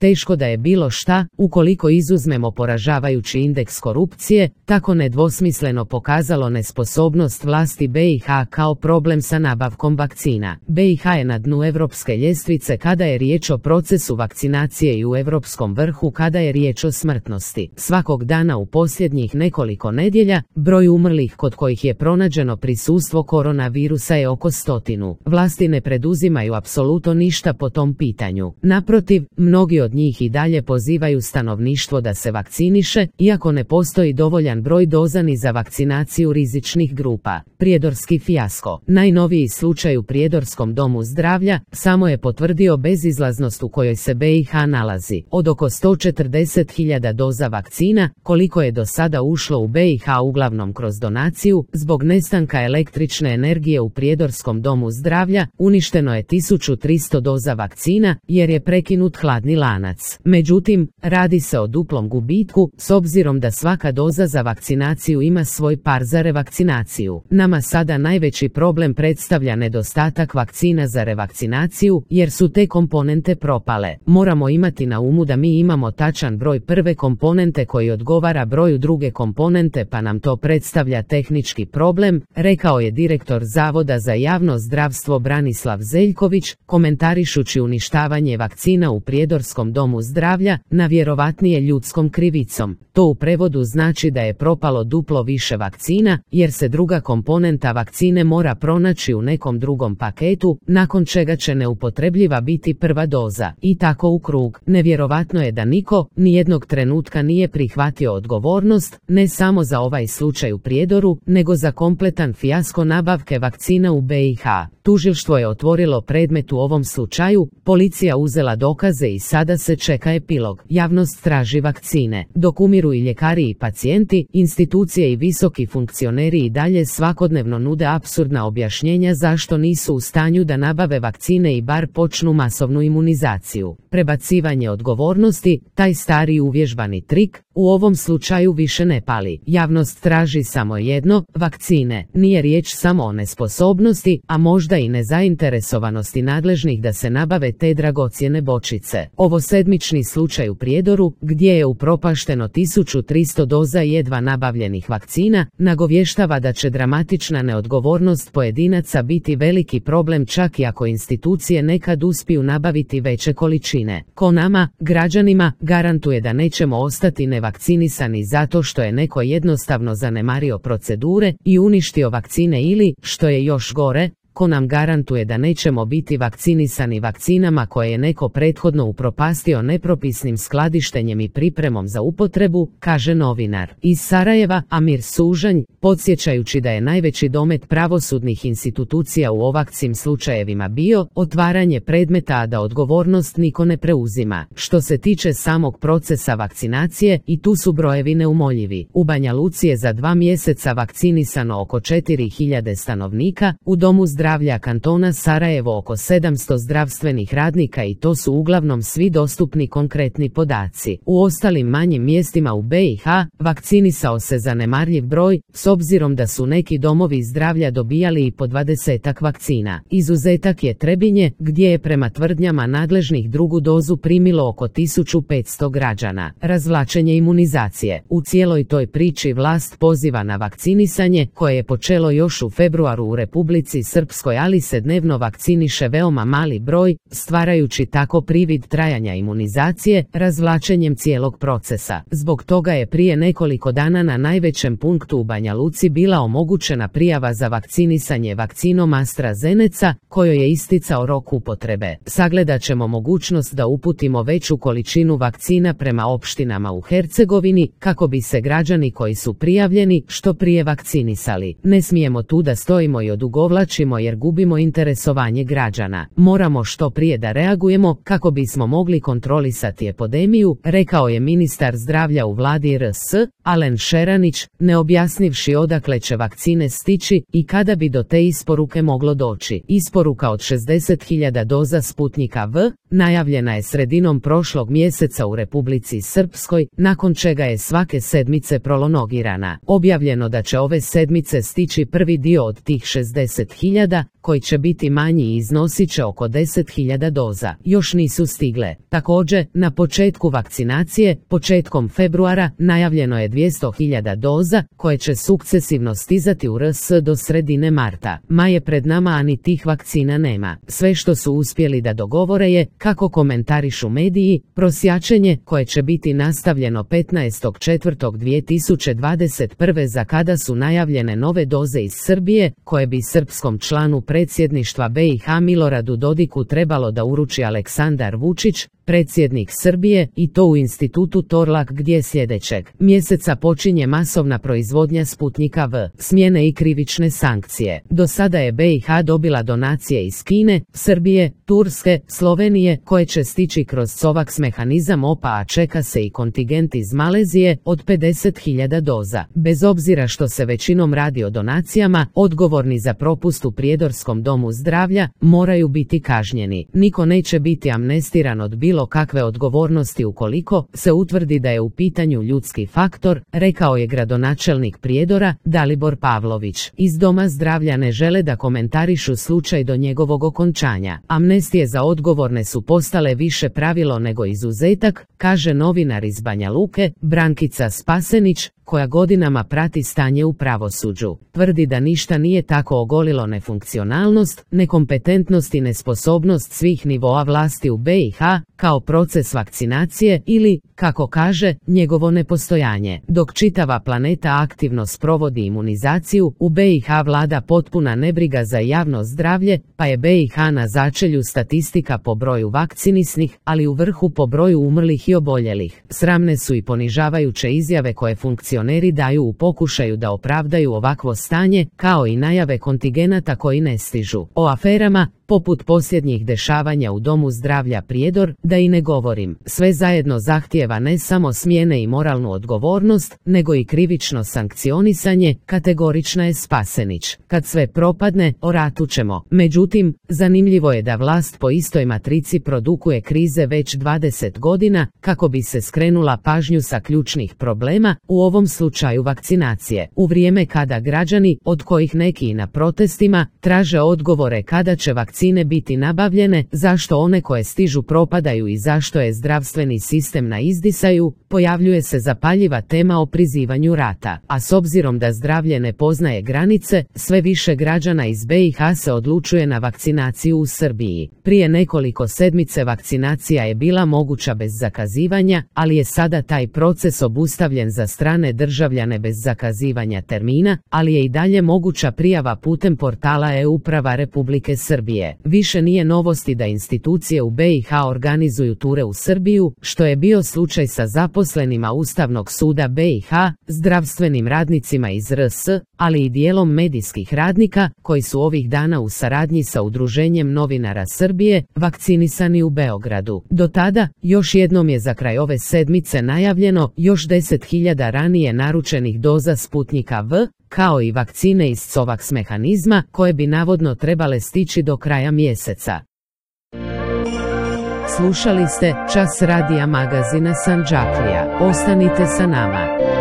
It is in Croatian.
Teško da je bilo šta, ukoliko izuzmemo poražavajući indeks korupcije, tako nedvosmisleno pokazalo nesposobnost vlasti BiH kao problem sa nabavkom vakcina. BiH je na dnu europske ljestvice kada je riječ o procesu vakcinacije i u europskom vrhu kada je riječ o smrtnosti. Svakog dana u posljednjih nekoliko nedjelja, broj umrlih kod kojih je pronađeno prisustvo koronavirusa je oko 100. Vlasti ne preduzimaju apsolutno ništa po tom pitanju. Naprotiv, mnogi od njih i dalje pozivaju stanovništvo da se vakciniše, iako ne postoji dovoljan broj doza ni za vakcinaciju rizičnih grupa. Prijedorski fijasko. Najnoviji slučaj u Prijedorskom domu zdravlja samo je potvrdio bezizlaznost u kojoj se BiH nalazi. Od oko 140.000 doza vakcina, koliko je do sada ušlo u BiH uglavnom kroz donaciju, zbog nestanka električne energije u Prijedorskom domu zdravlja, uništeno je 1300 doza vakcina, jer je prekinut hladni lanac. Međutim, radi se o duplom gubitku, s obzirom da svaka doza za vakcinaciju ima svoj par za revakcinaciju. Nama sada najveći problem predstavlja nedostatak vakcina za revakcinaciju, jer su te komponente propale. Moramo imati na umu da mi imamo tačan broj prve komponente koji odgovara broju druge komponente, pa nam to predstavlja tehnički problem, rekao je direktor Zavoda za javno zdravstvo Branislav Zeljković, komentarišući uništavanje vakcina u Prijedorskom domu zdravlja, najvjerovatnije ljudskom krivicom. To u prevodu znači da je propalo duplo više vakcina, jer se druga komponenta vakcine mora pronaći u nekom drugom paketu, nakon čega će neupotrebljiva biti prva doza. I tako u krug. Nevjerovatno je da niko, nijednog trenutka nije prihvatio odgovornost, ne samo za ovaj slučaj u Prijedoru, nego za kompletan fijasko nabavke vakcina u BiH. Tužilštvo je otvorilo predmet u ovom slučaju, policija uzela dokaze i sada se čeka epilog. Javnost traži vakcine. Dok umiru i ljekari i pacijenti, institucije i visoki funkcioneri i dalje svakodnevno nude apsurdna objašnjenja zašto nisu u stanju da nabave vakcine i bar počnu masovnu imunizaciju. Prebacivanje odgovornosti, taj stari uvježbani trik, u ovom slučaju više ne pali. Javnost traži samo jedno, vakcine. Nije riječ samo o nesposobnosti, a možda i nezainteresovanosti nadležnih da se nabave te dragocjene bočice. Ovo sedmični slučaj u Prijedoru, gdje je upropašteno 1300 doza jedva nabavljenih vakcina, nagovještava da će dramatična neodgovornost pojedinaca biti veliki problem čak i ako institucije nekad uspiju nabaviti veće količine. Ko nama, građanima, garantuje da nećemo ostati nevakcinisani zato što je neko jednostavno zanemario procedure i uništio vakcine ili, što je još gore, ko nam garantuje da nećemo biti vakcinisani vakcinama koje je neko prethodno upropastio nepropisnim skladištenjem i pripremom za upotrebu, kaže novinar. Iz Sarajeva, Amir Sužanj, podsjećajući da je najveći domet pravosudnih institucija u ovakvim slučajevima bio otvaranje predmeta, a da odgovornost niko ne preuzima. Što se tiče samog procesa vakcinacije, i tu su brojevi neumoljivi. U Banja Luci je za 2 mjeseca vakcinisano oko 4000 stanovnika, u domu zdravlja kantona Sarajevo oko 700 zdravstvenih radnika i to su uglavnom svi dostupni konkretni podaci. U ostalim manjim mjestima u BiH vakcinisao se zanemarljiv broj, s obzirom da su neki domovi zdravlja dobijali i po 20-ak vakcina. Izuzetak je Trebinje, gdje je prema tvrdnjama nadležnih drugu dozu primilo oko 1500 građana. Razvlačenje imunizacije. U cijeloj toj priči vlast poziva na vakcinisanje, koje je počelo još u februaru u Republici Srpskoj, ali se dnevno vakciniše veoma mali broj, stvarajući tako privid trajanja imunizacije, razvlačenjem cijelog procesa. Zbog toga je prije nekoliko dana na najvećem punktu u Banja Luci bila omogućena prijava za vakcinisanje vakcinom AstraZeneca, kojoj je isticao rok upotrebe. Sagledat ćemo mogućnost da uputimo veću količinu vakcina prema opštinama u Hercegovini, kako bi se građani koji su prijavljeni što prije vakcinisali. Ne smijemo tu da stojimo i odugovlačimo jer gubimo interesovanje građana. Moramo što prije da reagujemo kako bismo mogli kontrolisati epidemiju, rekao je ministar zdravlja u vladi RS, Alen Šeranić, ne objasnivši odakle će vakcine stići i kada bi do te isporuke moglo doći. Isporuka od 60.000 doza Sputnika V najavljena je sredinom prošlog mjeseca u Republici Srpskoj, nakon čega je svake sedmice prolongirana. Objavljeno da će ove sedmice stići prvi dio od tih 60.000, rada, koji će biti manji i iznosit će oko 10.000 doza. Još nisu stigle. Također, na početku vakcinacije, početkom februara, najavljeno je 200.000 doza, koje će sukcesivno stizati u RS do sredine marta. Maj je pred nama, a ni tih vakcina nema. Sve što su uspjeli da dogovore je, kako komentarišu mediji, prosjačenje koje će biti nastavljeno 15.4.2021. za kada su najavljene nove doze iz Srbije, koje bi srpskom članu predsjedništva BiH Miloradu Dodiku trebalo da uruči Aleksandar Vučić, predsjednik Srbije, i to u institutu Torlak, gdje sljedećeg mjeseca počinje masovna proizvodnja Sputnika V. Smjene i krivične sankcije. Do sada je BiH dobila donacije iz Kine, Srbije, Turske, Slovenije, koje će stići kroz COVAX mehanizam OPA, a čeka se i kontingent iz Malezije od 50.000 doza. Bez obzira što se većinom radi o donacijama, odgovorni za propust u Prijedorskom domu zdravlja moraju biti kažnjeni. Niko neće biti amnestiran od bilo kakve odgovornosti ukoliko se utvrdi da je u pitanju ljudski faktor, rekao je gradonačelnik Prijedora, Dalibor Pavlović. Iz Doma zdravlja ne žele da komentarišu slučaj do njegovog okončanja. Amnestije za odgovorne su postale više pravilo nego izuzetak, kaže novinar iz Banja Luke, Brankica Spasenić, koja godinama prati stanje u pravosuđu. Tvrdi da ništa nije tako ogolilo nefunkcionalnost, nekompetentnost i nesposobnost svih nivoa vlasti u BiH, kao proces vakcinacije ili, kako kaže, njegovo nepostojanje. Dok čitava planeta aktivno sprovodi imunizaciju, u BiH vlada potpuna nebriga za javno zdravlje, pa je BiH na začelju statistika po broju vakcinisnih, ali u vrhu po broju umrlih i oboljelih. Sramne su i ponižavajuće izjave koje funkcioneri daju u pokušaju da opravdaju ovakvo stanje, kao i najave kontingenata koji ne stižu. O aferama, poput posljednjih dešavanja u Domu zdravlja Prijedor, da i ne govorim. Sve zajedno zahtijeva ne samo smjene i moralnu odgovornost, nego i krivično sankcionisanje, kategorična je Spasenić. Kad sve propadne, o ratu ćemo. Međutim, zanimljivo je da vlast po istoj matrici produkuje krize već 20 godina, kako bi se skrenula pažnju sa ključnih problema, u ovom slučaju vakcinacije. U vrijeme kada građani, od kojih neki i na protestima, traže odgovore kada će vakcine biti nabavljene, zašto one koje stižu propadaju i zašto je zdravstveni sistem na izdisaju, pojavljuje se zapaljiva tema o prizivanju rata. A s obzirom da zdravlje ne poznaje granice, sve više građana iz BiH se odlučuje na vakcinaciju u Srbiji. Prije nekoliko sedmice vakcinacija je bila moguća bez zakazivanja, ali je sada taj proces obustavljen za strane državljane bez zakazivanja termina, ali je i dalje moguća prijava putem portala e-uprava Republike Srbije. Više nije novosti da institucije u BiH organizuju ture u Srbiju, što je bio slučaj sa zaposlenima Ustavnog suda BiH, zdravstvenim radnicima iz RS, ali i dijelom medijskih radnika, koji su ovih dana u saradnji sa Udruženjem novinara Srbije, vakcinisani u Beogradu. Do tada, još jednom je za kraj ove sedmice najavljeno još 10.000 ranije naručenih doza Sputnika V, kao i vakcine iz COVAX mehanizma, koje bi navodno trebale stići do kraja mjeseca. Slušali ste Čas radija magazina Sandžaklija. Ostanite sa nama.